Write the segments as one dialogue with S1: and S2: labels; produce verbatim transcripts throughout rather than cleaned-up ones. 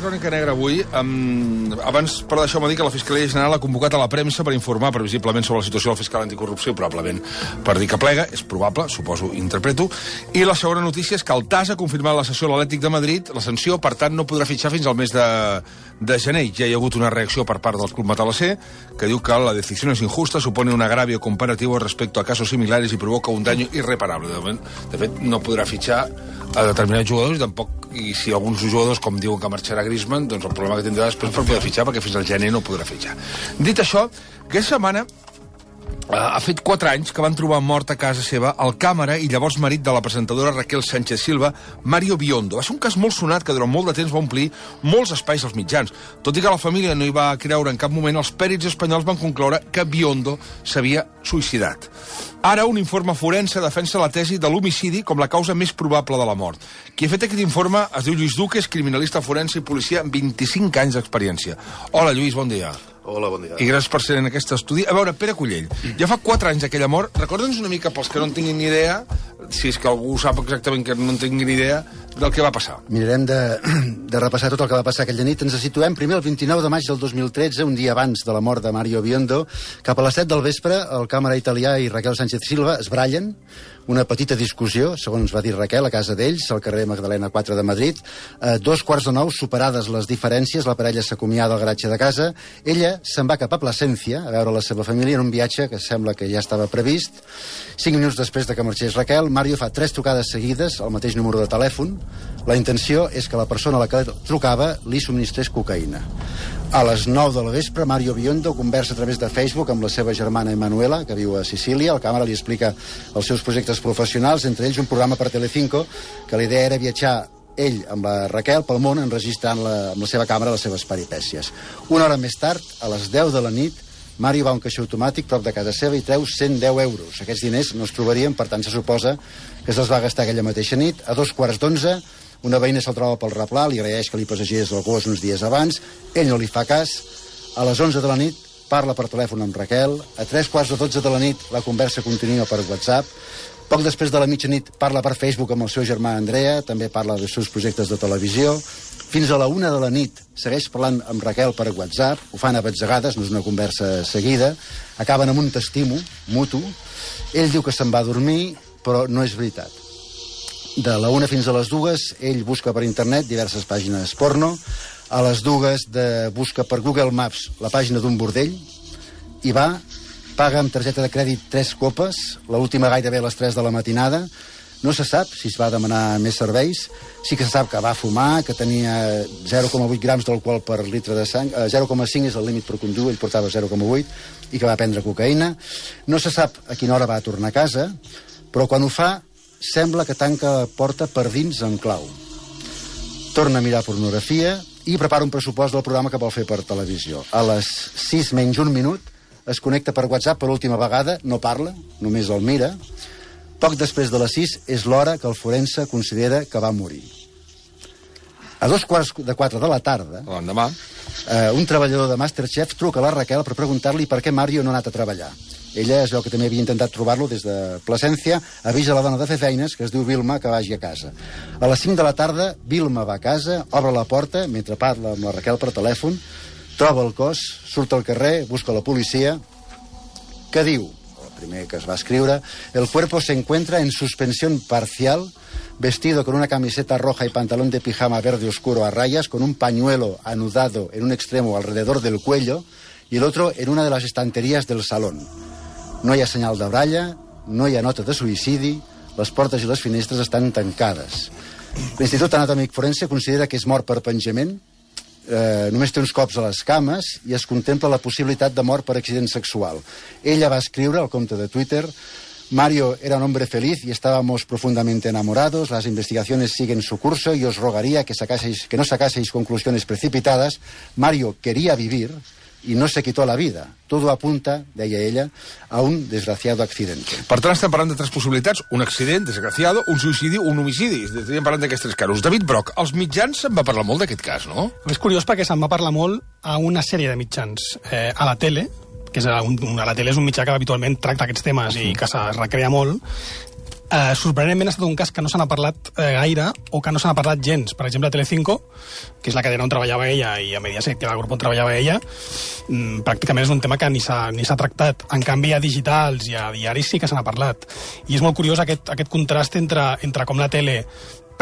S1: Crònica Negra avui. Um, abans, però deixeu-me dir que la Fiscalia General ha convocat a la premsa per informar previsiblement sobre la situació del fiscal anticorrupció, probablement per dir que plega, és probable, suposo, interpreto. I la segona notícia és que el T A S ha confirmat la sessió a l'Atlètic de Madrid, la sanció, per tant, no podrà fitxar fins al mes de, de gener. Ja hi ha hagut una reacció per part del Club Matalassé, que diu que la decisió és injusta, supone un agravio comparativo respecto a casos similares i provoca un daño irreparable. De, moment, de fet, no podrà fitxar a determinats jugadors i tampoc, i si alguns jugadors, com diuen que marxarà Griezmann, doncs el problema que tindrà després per poder fitxar, perquè fins al gener no podrà fitxar. Dit això, aquesta setmana Uh, ha fet quatre anys que van trobar mort a casa seva el càmera i llavors marit de la presentadora Raquel Sánchez Silva, Mario Biondo. Va ser un cas molt sonat que durant molt de temps va omplir molts espais als mitjans. Tot i que la família no hi va creure en cap moment, els pèrits espanyols van concloure que Biondo s'havia suïcidat. Ara un informe forense defensa la tesi de l'homicidi com la causa més probable de la mort. Qui ha fet aquest informe es diu Lluís Duque, és criminalista forense i policia amb vint-i-cinc anys d'experiència. Hola, Lluís, bon dia.
S2: Hola, bon dia.
S1: I gràcies per ser en aquest estudi. A veure, Pere Cullell, ja fa quatre anys d'aquella mort. Recorda'ns una mica, pels que no en tinguin ni idea, si és que algú sap exactament que no en tingui ni idea, del que va passar.
S3: Mirarem de, de repassar tot el que va passar aquella nit. Ens situem primer el vint-i-nou de maig del dos mil tretze, un dia abans de la mort de Mario Biondo. Cap a les set del vespre, el càmera italià i Raquel Sánchez Silva es brallen. Una petita discussió, segons va dir Raquel, a casa d'ells, al carrer Magdalena quatre de Madrid. Eh, dos quarts de nou, superades les diferències, la parella s'acomiada al garatge de casa. Ella se'n va cap a Plasència a veure la seva família en un viatge que sembla que ja estava previst. Cinc minuts després de que marxés Raquel, Mario fa tres trucades seguides al mateix número de telèfon. La intenció és que la persona a la que trucava li subministrés cocaïna. A les nou de la vespre, Mario Biondo conversa a través de Facebook amb la seva germana Emanuela, que viu a Sicília. El càmera li explica els seus projectes professionals, entre ells un programa per Telecinco, que la idea era viatjar ell amb la Raquel pel món enregistrant la, amb la seva càmera les seves peripècies. Una hora més tard, a les deu de la nit, Mario va a un caixer automàtic prop de casa seva i treu cent deu euros. Aquests diners no es trobarien, per tant se suposa que se'ls va gastar aquella mateixa nit. A dos quarts d'onze, una veïna se'l troba pel replà, li agraeix que li passegés el gos uns dies abans, ell no li fa cas. A les onze de la nit parla per telèfon amb Raquel, a tres quarts de dotze de la nit la conversa continua per WhatsApp, poc després de la mitjanit parla per Facebook amb el seu germà Andrea, també parla dels seus projectes de televisió, fins a la una de la nit segueix parlant amb Raquel per WhatsApp, ho fan a batzegades, no és una conversa seguida, acaben amb un t'estimo mutu, ell diu que se'n va a dormir, però no és veritat. De la una fins a les dues, ell busca per internet diverses pàgines porno, a les dues de busca per Google Maps la pàgina d'un bordell, i va, paga amb targeta de crèdit tres copes, l'última gairebé a les tres de la matinada. No se sap si es va demanar més serveis, sí que se sap que va fumar, que tenia zero coma vuit grams d'alcohol per litre de sang, eh, zero coma cinc és el límit per conduir, ell portava zero coma vuit, i que va prendre cocaïna. No se sap a quina hora va tornar a casa, però quan ho fa, sembla que tanca la porta per dins en clau. Torna a mirar pornografia i prepara un pressupost del programa que vol fer per televisió. A les sis menys un minut es connecta per WhatsApp per última vegada, no parla, només el mira. Poc després de les sis és l'hora que el forense considera que va morir. A dos quarts de quatre de la tarda,
S1: l'endemà,
S3: eh, un treballador de Masterchef truca a la Raquel per preguntar-li per què Mario no ha anat a treballar. Ella es veu que també havia intentat trobar-lo des de Plasència, avisa la dona de fer feines, que es diu Vilma, que vagi a casa. A les cinc de la tarda, Vilma va a casa, obre la porta, mentre parla amb la Raquel per telèfon, troba el cos, surt al carrer, busca la policia, que diu, el primer que es va escriure, el cuerpo se encuentra en suspensión parcial, vestido con una camiseta roja y pantalón de pijama verde oscuro a rayas, con un pañuelo anudado en un extremo alrededor del cuello y el otro en una de las estanterías del salón. No hi ha senyal de bralla, no hi ha nota de suïcidi, les portes i les finestres estan tancades. L'Institut Anatòmic Forense considera que és mort per penjament, eh, només té uns cops a les cames i es contempla la possibilitat de mort per accident sexual. Ella va escriure al compte de Twitter: Mario era un hombre feliz y estábamos profundamente enamorados, las investigaciones siguen su curso y os rogaría que, sacaseis, que no sacaseis conclusiones precipitadas. Mario quería vivir y no se quitó la vida. Todo apunta, deia ella, a un desgraciado accidente.
S1: Per tant, estem parlant de tres possibilitats: un accident, desgraciado, un suïcidi, un homicidi. Estem parlant d'aquests tres casos. David Broc, als mitjans se'n va parlar molt d'aquest cas, no?
S4: És curiós perquè se'n va parlar molt a una sèrie de mitjans. Eh, a la tele, que és un, a la tele és un mitjà que habitualment tracta aquests temes i que es recrea molt. Uh, sorprenentment ha estat un cas que no se n'ha parlat eh, gaire o que no se n'ha parlat gens. Per exemple, a Telecinco, que és la cadena on treballava ella, i a Mediaset, que era el grup on treballava ella, mmm, pràcticament és un tema que ni s'ha ni s'ha tractat. En canvi, a digitals i a diaris sí que se n'ha parlat. I és molt curiós aquest, aquest contrast entre, entre com la tele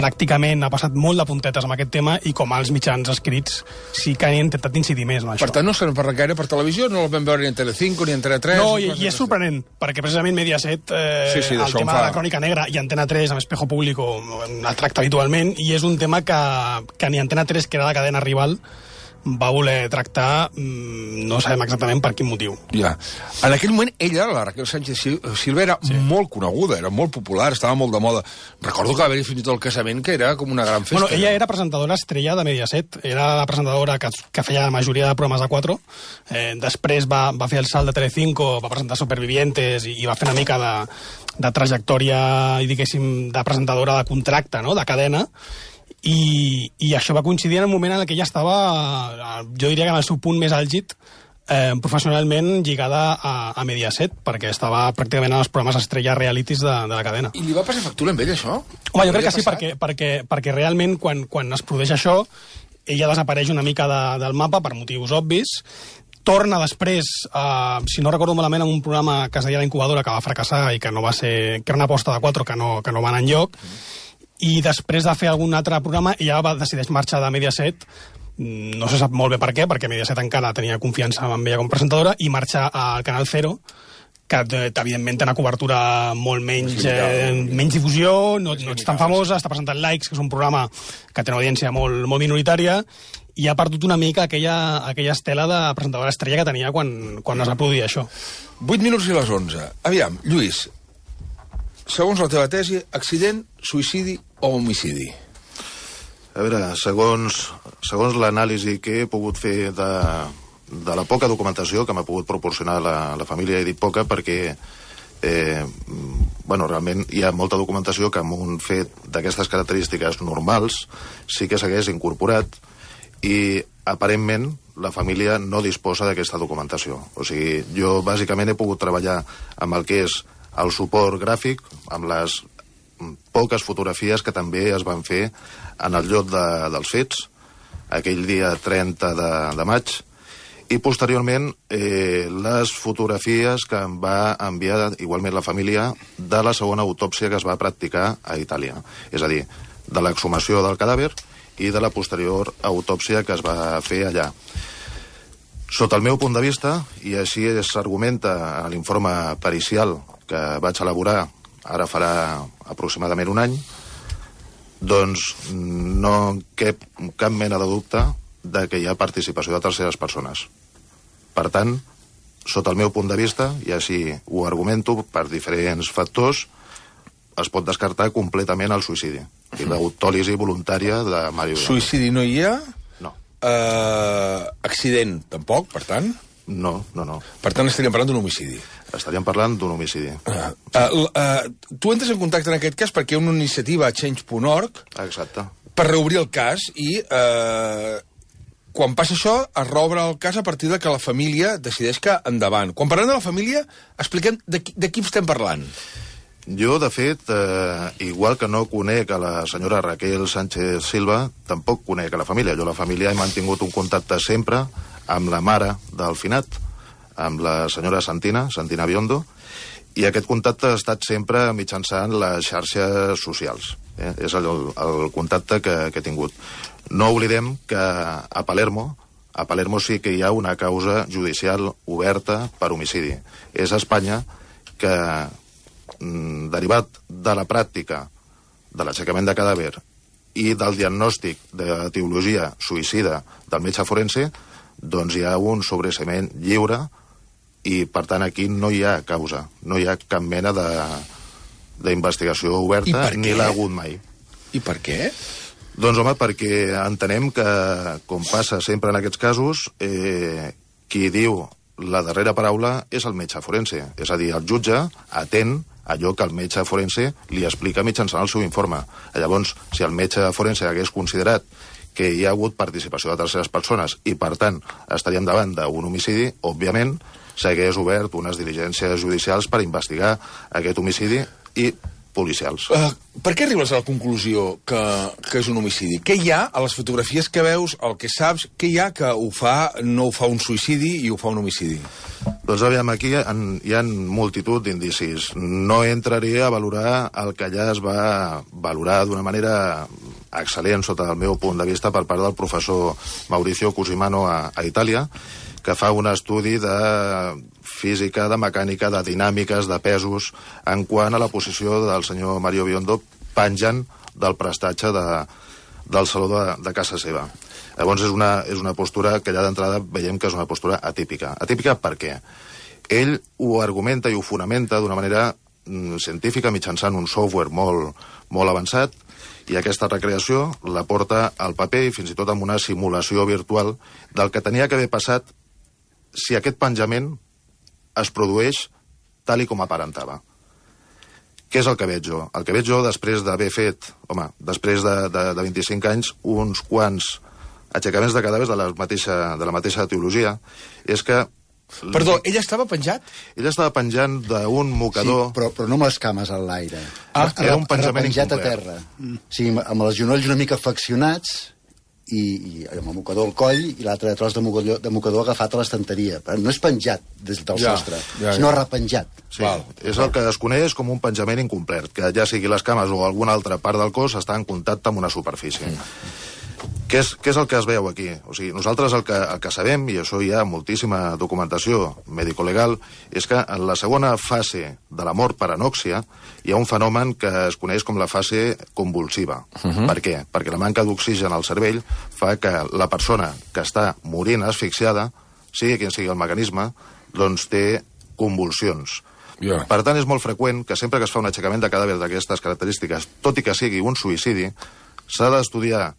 S4: pràcticament ha passat molt de puntetes amb aquest tema i com els mitjans escrits sí que han intentat incidir més en això.
S1: Per tant, no se n'ha parlat gaire per televisió, no el vam veure ni en Telecinco ni en Antena tres.
S4: No, i, i és sorprenent, perquè precisament Mediaset, eh,
S1: sí, sí,
S4: el tema fa... de la Crònica Negra i Antena tres amb Espejo Público el tracta habitualment, i és un tema que, que ni Antena tres, que era la cadena rival, va voler tractar, mmm, no sabem exactament per quin motiu.
S1: Ja. En aquell moment, ella, la Raquel Sánchez Silva, era sí. molt coneguda, era molt popular, estava molt de moda. Recordo que va haver-hi fins i tot el casament, que era com una gran festa.
S4: Bueno, ella era presentadora estrella de Mediaset, era la presentadora que, que feia la majoria de programes de quatre. Eh, després va, va fer el salt de Telecinco, va presentar Supervivientes i, i va fer una mica de, de trajectòria, diguéssim, de presentadora de contracte, no?, de cadena. I, i això va coincidir en el moment en què ella estava, jo diria que en el seu punt més àlgid, eh, professionalment lligada a, a Mediaset, perquè estava pràcticament en els programes estrella realities de, de la cadena.
S1: I li va passar factura amb ell, això?
S4: Home, jo crec que sí, perquè, perquè, perquè realment quan, quan es produeix això, ella desapareix una mica de, del mapa per motius obvis, torna després, eh, si no recordo malament, en un programa que es deia La Incubadora, que va fracassar i que no va ser, que era una aposta de quatre que no, que no va anar enlloc, mm. i després de fer algun altre programa ella va decideix marxar de Mediaset, no se sap molt bé per què, perquè Mediaset encara tenia confiança en ella com presentadora, i marxar al Canal Cero, que evidentment té una cobertura molt menys, eh, menys difusió, no, no ets tan famosa, està presentant Likes, que és un programa que té una audiència molt, molt minoritària, i ha perdut una mica aquella, aquella estela de presentadora estrella que tenia quan, quan es va produir això.
S1: vuit minuts i les onze. Aviam, Lluís, segons la teva tesi, accident, suïcidi o homicidi?
S2: A veure, segons, segons l'anàlisi que he pogut fer de, de la poca documentació que m'ha pogut proporcionar la, la família, he dit poca perquè eh, bueno, realment hi ha molta documentació que amb un fet d'aquestes característiques normals sí que s'hagués incorporat, i aparentment la família no disposa d'aquesta documentació. O sigui, jo bàsicament he pogut treballar amb el que és el suport gràfic, amb les poques fotografies que també es van fer en el lloc de, dels fets, aquell dia trenta de, de maig, i posteriorment eh, les fotografies que em va enviar igualment la família de la segona autòpsia que es va practicar a Itàlia. És a dir, de l'exhumació del cadàver i de la posterior autòpsia que es va fer allà. Sota el meu punt de vista, i així s'argumenta a l'informe pericial que vaig elaborar ara farà aproximadament un any, doncs no cap, cap mena de dubte de que hi ha participació de terceres persones. Per tant, sota el meu punt de vista, i així ho argumento per diferents factors, es pot descartar completament el suïcidi i l'autòlisi voluntària de Mario Viondó.
S1: Suïcidi no hi ha?
S2: No.
S1: Uh, accident tampoc, per tant?
S2: No, no, no.
S1: Per tant, estaríem parlant d'un homicidi.
S2: Estaríem parlant d'un homicidi.
S1: Uh, uh, uh, tu entres en contacte en aquest cas perquè hi ha una iniciativa a change punt org
S2: Exacte.
S1: Per reobrir el cas i uh, quan passa això es reobre el cas a partir de que la família decideix que endavant. Quan parlem de la família, expliquem de qui, de qui estem parlant.
S2: Jo, de fet, eh, igual que no conec a la senyora Raquel Sánchez Silva, tampoc conec a la família. Jo, la família, he mantingut un contacte sempre amb la mare del finat, amb la senyora Santina, Santina Biondo, i aquest contacte ha estat sempre mitjançant les xarxes socials. Eh? És el, el contacte que, que he tingut. No oblidem que a Palermo, a Palermo sí que hi ha una causa judicial oberta per homicidi. És a Espanya que, derivat de la pràctica de l'aixecament de cadàver i del diagnòstic de teologia suïcida del metge forense, doncs hi ha un sobreseïment lliure i, per tant, aquí no hi ha causa, no hi ha cap mena d'investigació oberta, ni l'ha hagut mai.
S1: I per què?
S2: Doncs, home, perquè entenem que, com passa sempre en aquests casos, eh, qui diu la darrera paraula és el metge forense. És a dir, el jutge atén allò que el metge forense li explica mitjançant el seu informe. Llavors, si el metge forense hagués considerat que hi ha hagut participació de terceres persones i, per tant, estaríem davant d'un homicidi, òbviament, s'hagués obert unes diligències judicials per investigar aquest homicidi i policials.
S1: Uh, per què arribes a la conclusió que, que és un homicidi? Què hi ha a les fotografies que veus, el que saps, què hi ha que ho fa, no ho fa un suïcidi i ho fa un homicidi?
S2: Doncs aviam, aquí hi ha, hi ha multitud d'indicis. No entraré a valorar el que allà es va valorar d'una manera excel·lent, sota el meu punt de vista, per part del professor Mauricio Cusimano a, a Itàlia, que fa un estudi de física, de mecànica, de dinàmiques, de pesos, en quant a la posició del senyor Mario Biondo penjant del prestatge de, del saló de, de casa seva. Llavors és una, és una postura que ja d'entrada veiem que és una postura atípica. Atípica per què? Ell ho argumenta i ho fonamenta d'una manera mm, científica mitjançant un software molt, molt avançat, i aquesta recreació la porta al paper i fins i tot amb una simulació virtual del que tenia que haver passat si aquest penjament es produeix tal i com aparentava. Què és el que veig jo? El que veig jo després d'haver fet, home, després de, de, de vint-i-cinc anys, uns quants aixecaments de cadàvers de la mateixa, de la mateixa teologia, és que...
S1: Perdó, ell estava penjat?
S2: Ell estava penjant d'un mocador...
S3: Sí, però, però no amb les cames en l'aire.
S2: Ah, era un penjament
S3: incomplet. A terra.
S2: Mm.
S3: O sigui, amb els genolls una mica flexionats i, i amb el mocador al coll i l'altre tros de mocador, de mocador agafat a l'estanteria. No és penjat des del
S1: ja,
S3: sostre,
S1: ja,
S3: sinó
S1: ja.
S3: repenjat.
S2: Sí, Val. És el que es coneix com un penjament incomplet, que ja sigui les cames o alguna altra part del cos està en contacte amb una superfície. Mm. Què és, què és el que es veu aquí? O sigui, nosaltres el que, el que sabem, i això hi ha moltíssima documentació mèdico-legal, és que en la segona fase de la mort per anòxia hi ha un fenomen que es coneix com la fase convulsiva. Uh-huh. Per què? Perquè la manca d'oxigen al cervell fa que la persona que està morint asfixiada, sigui quin sigui el mecanisme, doncs té convulsions.
S1: Yeah.
S2: Per tant, és molt freqüent que sempre que es fa un aixecament de cadàver d'aquestes característiques, tot i que sigui un suïcidi, s'ha d'estudiar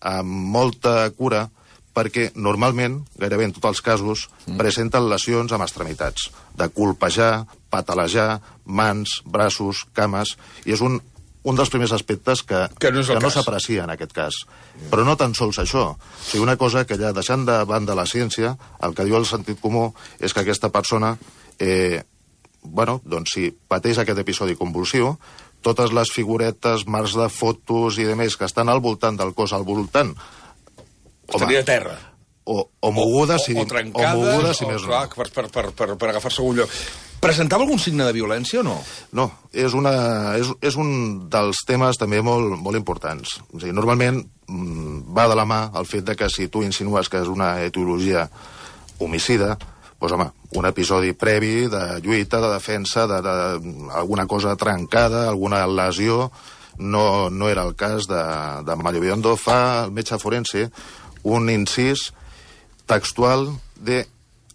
S2: amb molta cura, perquè normalment, gairebé en tots els casos, mm. presenten lesions amb extremitats, de colpejar, patalejar, mans, braços, cames, i és un, un dels primers aspectes que,
S1: que no,
S2: que no s'aprecia en aquest cas. Mm. Però no tan sols això. O sigui, una cosa que ja deixant de banda la ciència, el que diu el sentit comú és que aquesta persona, eh, bueno, doncs si pateix aquest episodi convulsiu, totes les figuretes, marcs de fotos i demés que estan al voltant del cos, al voltant...
S1: Estaria a terra.
S2: O, o mogudes,
S1: o, o, o trencades,
S2: o mogudes, si
S1: o,
S2: més
S1: clar,
S2: no.
S1: Per, per, per, per, per agafar-se algun lloc. Presentava algun signe de violència o no?
S2: No, és, una, és, és un dels temes també molt, molt importants. O sigui, normalment mmm, va de la mà el fet de que si tu insinues que és una etiologia homicida, doncs, home, un episodi previ de lluita, de defensa, de, de, de alguna cosa trencada, alguna lesió, no, no era el cas de, de Mario Biondo. Fa el metge forense un incís textual de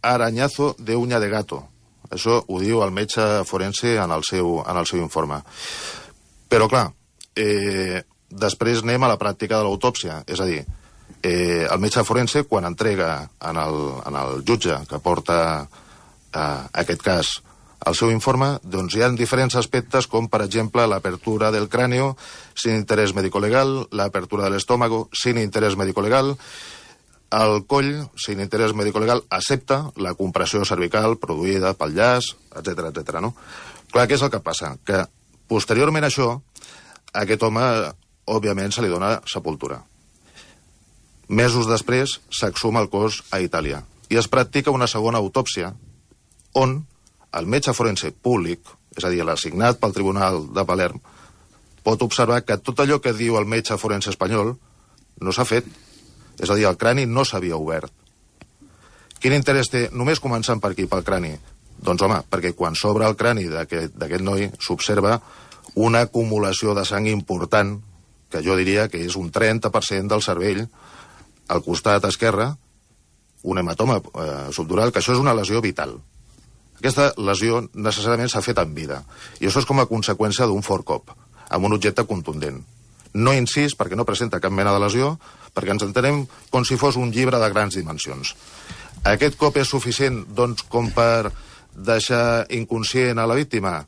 S2: arañazo de uña de gato. Això ho diu el metge forense en el seu, en el seu informe. Però, clar, eh, després anem a la pràctica de l'autòpsia, és a dir, Eh, el metge forense, quan entrega en el, en el jutge que porta eh, aquest cas el seu informe, doncs hi ha diferents aspectes com, per exemple, l'apertura del cráneo sin interés médico-legal, l'apertura de l'estómago sin interés médico-legal, el coll sin interés médico-legal accepta la compressió cervical produïda pel llaç, etcètera, etcètera, no? Clar, què és el que passa? Que posteriorment a això, a aquest home, òbviament, se li dona sepultura. Mesos després s'exhuma el cos a Itàlia i es practica una segona autòpsia on el metge forense públic, és a dir, l'assignat pel Tribunal de Palerm, pot observar que tot allò que diu el metge forense espanyol no s'ha fet. És a dir, el crani no s'havia obert. Quin interès té, només començant per aquí, pel crani? Doncs, home, perquè quan s'obre el crani d'aquest noi s'observa una acumulació de sang important, que jo diria que és un trenta per cent del cervell, al costat esquerre, un hematoma eh, subdural, que això és una lesió vital. Aquesta lesió necessàriament s'ha fet en vida, i això és com a conseqüència d'un fort cop, amb un objecte contundent. No incís, perquè no presenta cap mena de lesió, perquè ens entenem com si fos un llibre de grans dimensions. Aquest cop és suficient, doncs, com per deixar inconscient a la víctima?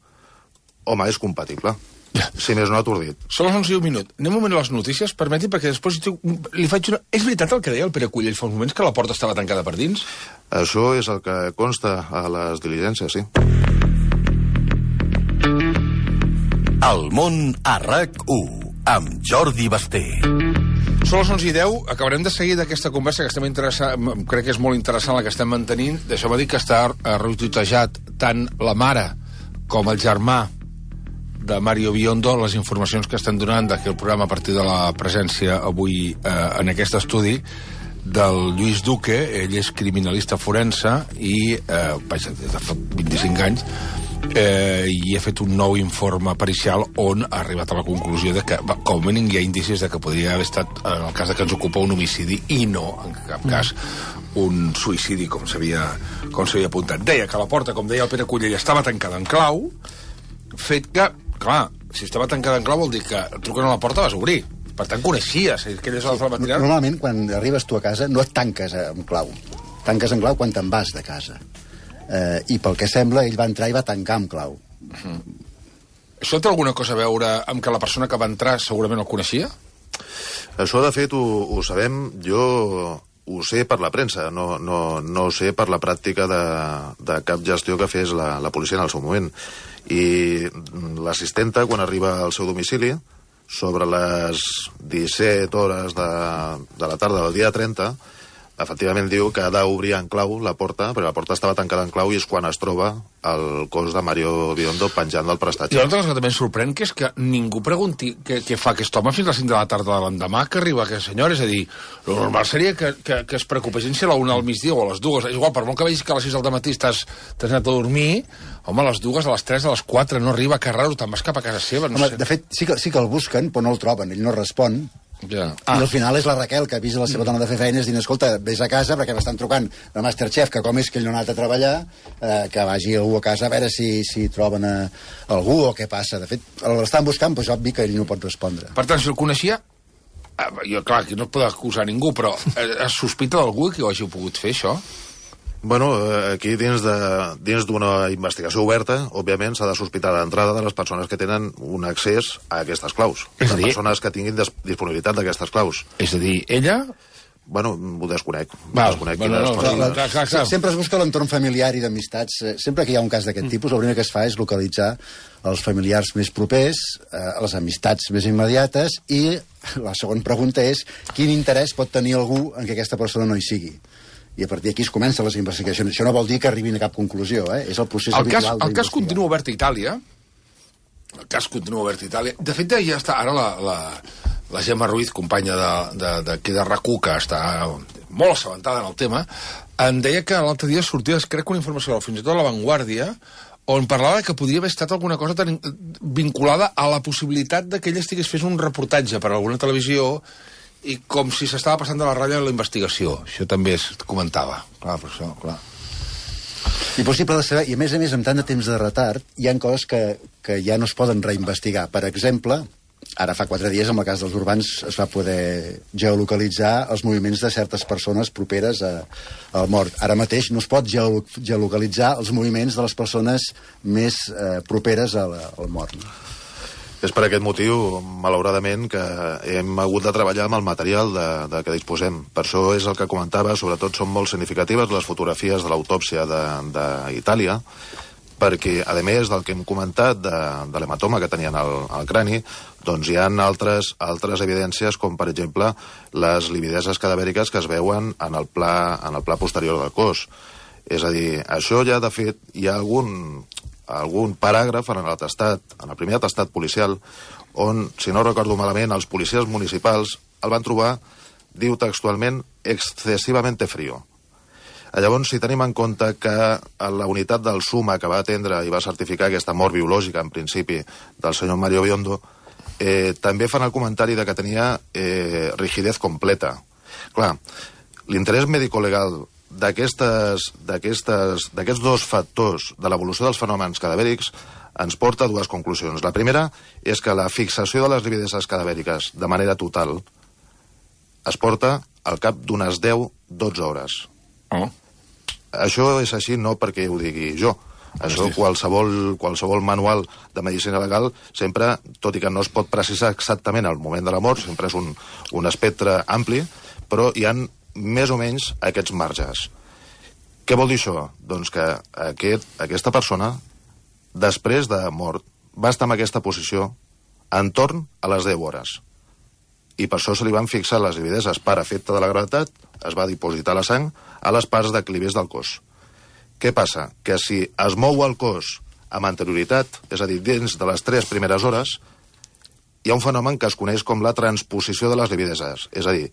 S2: Home, és compatible. Si més no atordit.
S1: Són les onze i un minut. Anem un moment a les notícies, permeti, perquè després li faig una... És veritat el que deia el Pere Cullell fa uns moments, que la porta estava tancada per dins?
S2: Això és el que consta a les diligències, sí.
S5: El món a RAC u, amb Jordi Basté.
S1: Són les onze i deu, acabarem de seguir d'aquesta conversa que estem interessant, crec que és molt interessant la que estem mantenint. Deixeu-me dir que està retuitejat tant la mare com el germà de Mario Biondo, les informacions que estan donant d'aquí el programa a partir de la presència avui eh, en aquest estudi del Lluís Duque. Ell és criminalista forense i, eh, vaja, des de fa vint-i-cinc anys, eh, i ha fet un nou informe pericial on ha arribat a la conclusió de que, com a mínim, hi ha indicis de que podria haver estat, en el cas de que ens ocupa, un homicidi i no, en cap cas, un suïcidi, com s'havia com s'havia apuntat. Deia que la porta, com deia el Pere Cullell, estava tancada en clau, fet que, clar, si estava tancada en clau vol dir que truquen a la porta vas obrir. Per tant, coneixies aquelles hores de la matinada.
S3: Normalment, quan arribes tu a casa, no et tanques en clau. Tanques en clau quan te'n vas de casa. Eh, I pel que sembla, ell va entrar i va tancar amb clau.
S1: Uh-huh. Això té alguna cosa a veure amb que la persona que va entrar segurament el coneixia?
S2: Això, de fet, ho, ho sabem. Jo ho sé per la premsa, no, no, no ho sé per la pràctica de, de cap gestió que fes la, la policia en el seu moment. I l'assistenta, quan arriba al seu domicili, sobre les disset hores de, de la tarda del dia trenta, efectivament diu que ha d'obrir en clau la porta, perquè la porta estava tancada en clau i és quan es troba el cos de Mario Biondo penjant del prestatge.
S1: I una cosa que també em sorprèn que és que ningú pregunti què, què fa aquest home fins a les cinc de la tarda de l'endemà que arriba aquest senyor. És a dir, el normal seria que, que, que es preocupessin si a la una al migdia o a les dues. És igual, per molt que vegis que a les sis del matí t'has anat a dormir, home, a les dues, a les tres, a les quatre no arriba, que raro, te'n vas cap a casa seva. No
S3: home,
S1: sé.
S3: De fet, sí que, sí que el busquen, però no el troben, ell no respon.
S1: Ja.
S3: Ah. I al final és la Raquel que avisa la seva dona de fer feines dient, escolta, vés a casa perquè m'estan trucant de Masterchef, que com és que ell no ha anat a treballar, eh, que vagi algú a casa a veure si, si troben a algú o què passa. De fet, l'estan buscant, doncs obvi que ell no pot respondre.
S1: Per tant, si el coneixia, eh, jo, clar, aquí no es pot acusar ningú, però eh, es sospita d'algú que ho hagi pogut fer, això?
S2: Bueno, aquí dins de, dins d'una investigació oberta, òbviament s'ha de sospitar d'entrada de les persones que tenen un accés a aquestes claus.
S1: És a dir,
S2: les persones que tinguin disponibilitat d'aquestes claus.
S1: És a dir, ella...
S2: Bueno, ho desconec.
S1: Val,
S2: desconec
S1: bueno, no,
S2: coses...
S1: clar, clar, clar, clar.
S3: Sempre es busca l'entorn familiar i d'amistats. Sempre que hi ha un cas d'aquest tipus, el primer que es fa és localitzar els familiars més propers, eh, les amistats més immediates, i la segona pregunta és quin interès pot tenir algú en que aquesta persona no hi sigui. I a partir d'aquí es comencen les investigacions. Això no vol dir que arribin a cap conclusió, eh? És el procés
S1: el
S3: habitual
S1: cas, el cas continua obert a Itàlia. El cas continua obert a Itàlia. De fet, ja està ara la, la, la Gemma Ruiz, companya d'aquí de, de, de RAC u, que està molt assabentada en el tema, em deia que l'altre dia sortia, crec que una informació, fins i tot a La Vanguardia, on parlava que podria haver estat alguna cosa tan vinculada a la possibilitat de que ell estigués fent un reportatge per a alguna televisió i com si s'estava passant de la ratlla en la investigació. Això també es comentava. Clar, per això, clar.
S3: Impossible de saber, i a més a més, amb tant de temps de retard, hi ha coses que, que ja no es poden reinvestigar. Per exemple, ara fa quatre dies, amb el cas dels urbans, es va poder geolocalitzar els moviments de certes persones properes a, al mort. Ara mateix no es pot geolo, geolocalitzar els moviments de les persones més eh, properes a la, al mort.
S2: És per aquest motiu, malauradament, que hem hagut de treballar amb el material de, de què disposem. Per això és el que comentava, sobretot són molt significatives les fotografies de l'autòpsia d'Itàlia, perquè, a més del que hem comentat de, de l'hematoma que tenien al, al crani, doncs hi ha altres, altres evidències, com per exemple les livideses cadavèriques que es veuen en el pla, en el pla posterior del cos. És a dir, això ja, de fet, hi ha algun... algun paràgraf en l'atestat, en el primer atestat policial, on, si no recordo malament, els policies municipals el van trobar, diu textualment, excessivamente frío. Llavors, si tenim en compte que la unitat del SUMA que va atendre i va certificar aquesta mort biològica, en principi, del senyor Mario Biondo, eh, també fan el comentari de que tenia eh, rigidez completa. Clar, l'interès mèdico-legal d'aquestes, d'aquestes, d'aquests dos factors de l'evolució dels fenòmens cadavèrics ens porta a dues conclusions. La primera és que la fixació de les livideses cadavèriques de manera total es porta al cap d'unes deu a dotze hores.
S1: Oh.
S2: Això és així no perquè ho digui jo. Això qualsevol, qualsevol manual de medicina legal sempre, tot i que no es pot precisar exactament el moment de la mort, sempre és un, un espectre ampli, però hi han més o menys aquests marges. Què vol dir això? Doncs que aquest, aquesta persona, després de mort, va estar en aquesta posició entorn a les deu hores. I per això se li van fixar les livideses per efecte de la gravetat, es va dipositar la sang a les parts declives del cos. Què passa? Que si es mou el cos amb anterioritat, és a dir, dins de les tres primeres hores, hi ha un fenomen que es coneix com la transposició de les livideses. És a dir,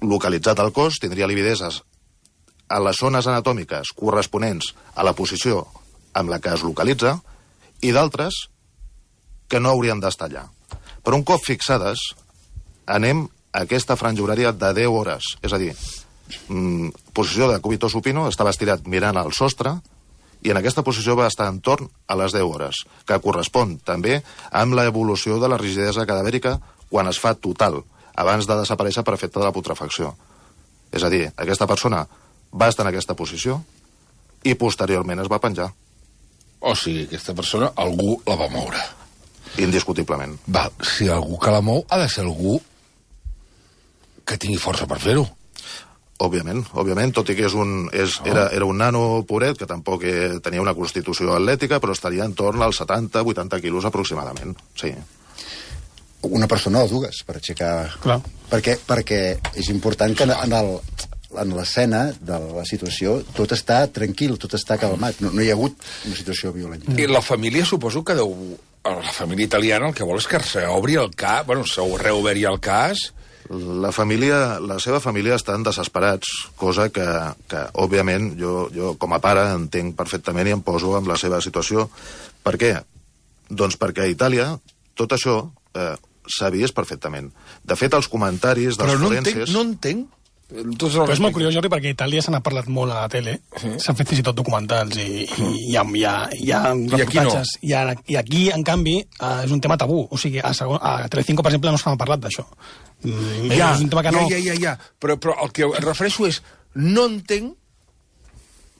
S2: localitzat al cos, tindria livideses a les zones anatòmiques corresponents a la posició amb la que es localitza i d'altres que no haurien d'estar allà. Per un cop fixades, anem a aquesta franja horària de deu hores. És a dir, mm, posició de cúbito supino, estava estirat mirant al sostre, i en aquesta posició va estar entorn a les deu hores, que correspon també amb l'evolució de la rigidesa cadavèrica quan es fa total, abans de desaparèixer per efecte de la putrefacció. És a dir, aquesta persona va estar en aquesta posició i posteriorment es va penjar.
S1: O sigui, aquesta persona, algú la va moure.
S2: Indiscutiblement.
S1: Val, si algú que la mou ha de ser algú que tingui força per fer-ho.
S2: Òbviament, òbviament, tot i que és un, és, era, era un nano poret, que tampoc eh, tenia una constitució atlètica, però estaria en torn als setanta a vuitanta quilos aproximadament, sí.
S3: Una persona o dues, per aixecar...
S4: Clar.
S3: Perquè, perquè és important que en el, en l'escena de la situació tot està tranquil, tot està calmat, no, no hi ha hagut una situació violenta.
S1: I la família suposo que deu... La família italiana el que vol és que s'obri el cas, bueno, s'ho reobri el cas...
S2: La família, la seva família estan desesperats, cosa que, que òbviament, jo, jo com a pare entenc perfectament i em poso en la seva situació. Per què? Doncs perquè a Itàlia tot això eh, s'ha vist perfectament. De fet, els comentaris dels
S1: Però no
S2: forenses...
S1: entenc, no entenc. Tots
S4: Però és molt curiós, Jordi, perquè a Itàlia se n'ha parlat molt a la tele, s'han sí. fet fins i tot documentals i, i hi ha, hi ha, hi ha reportatges. I, no. I, I aquí, en canvi, eh, és un tema tabú. O sigui, a, segon, a Telecinco, per exemple, no s'ha parlat d'això. Mm,
S1: ja,
S4: és un tema que no...
S1: ja, ja, ja, ja. Però, però el que em refereixo és, no entenc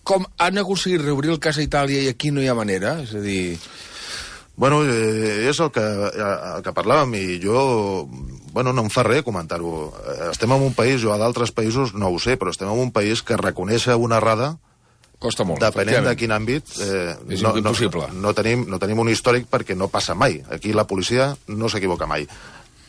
S1: com han aconseguit reobrir el cas a Itàlia i aquí no hi ha manera. És a dir...
S2: Bueno, eh, és el que, el que parlàvem i jo, bueno, no em fa res comentar-ho. Estem en un país, jo a d'altres països no ho sé, però estem en un país que reconèixer una errada,
S1: costa molt,
S2: depenent de quin àmbit, eh,
S1: és
S2: no,
S1: impossible.
S2: No, no, tenim, no tenim un històric perquè no passa mai. Aquí la policia no s'equivoca mai.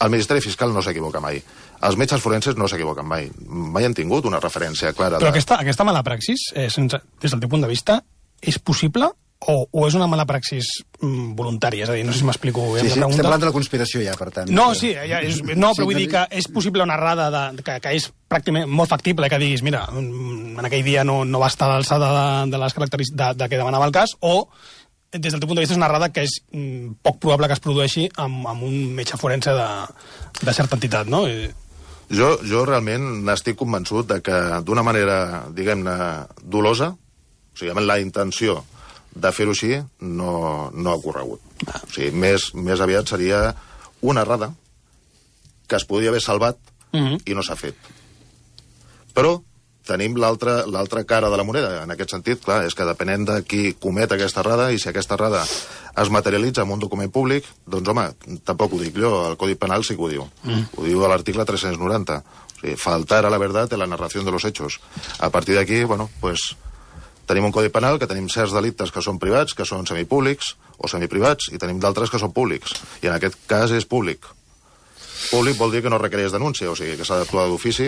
S2: El Ministeri Fiscal no s'equivoca mai. Els metges forenses no s'equivoquen mai. Mai han tingut una referència clara.
S4: Però
S2: de...
S4: aquesta, aquesta mala praxis, eh, sense, des del teu punt de vista, és possible o, o és una mala praxis mm, voluntària? És a dir, no sé si m'explico bé
S3: sí,
S4: la
S3: sí,
S4: pregunta.
S3: Estem parlant de la conspiració ja, per tant.
S4: No, sí, ja és, no, però
S3: sí,
S4: vull dir que és possible una errada de, que, que és pràcticament molt factible, que diguis, mira, en aquell dia no, no va estar a l'alçada de, de les característiques de, de que demanava el cas, o des del teu punt de vista és una errada que és mm, poc probable que es produeixi amb, amb un metge forense de, de certa entitat, no? I...
S2: Jo, jo realment n'estic convençut de que d'una manera, diguem-ne, dolosa, o sigui, amb la intenció de fer-ho així, no, no ha ocorregut. O sigui, més, més aviat seria una errada que es podria haver salvat
S4: Mm-hmm.
S2: i no s'ha fet. Però tenim l'altra l'altra cara de la moneda. En aquest sentit, clar, és que depenent de qui comet aquesta errada i si aquesta errada es materialitza en un document públic, doncs, home, tampoc ho dic jo, el Codi Penal sí que ho diu. Mm. Ho diu a l'article tres-cents noranta. O sigui, faltar a la verdad en la narración de los hechos. A partir d'aquí, bueno, pues... Tenim un codi penal que tenim certs delictes que són privats, que són semipúblics o semiprivats, i tenim d'altres que són públics. I en aquest cas és públic. Públic vol dir que no requereix denúncia, o sigui que s'ha d'actuar d'ofici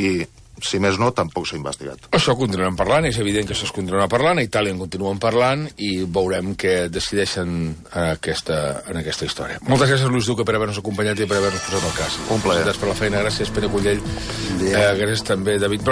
S2: i, si més no, tampoc s'ha investigat.
S1: Això continuem parlant, és evident que això es continua parlant, a Itàlia en continuen parlant i veurem què decideixen en aquesta, en aquesta història. Moltes gràcies, Luis Duque, per haver-nos acompanyat i per haver-nos posat el cas.
S2: Un plaer.
S1: Gràcies per la feina, gràcies, Pere Cullell, eh, gràcies també, David Broc.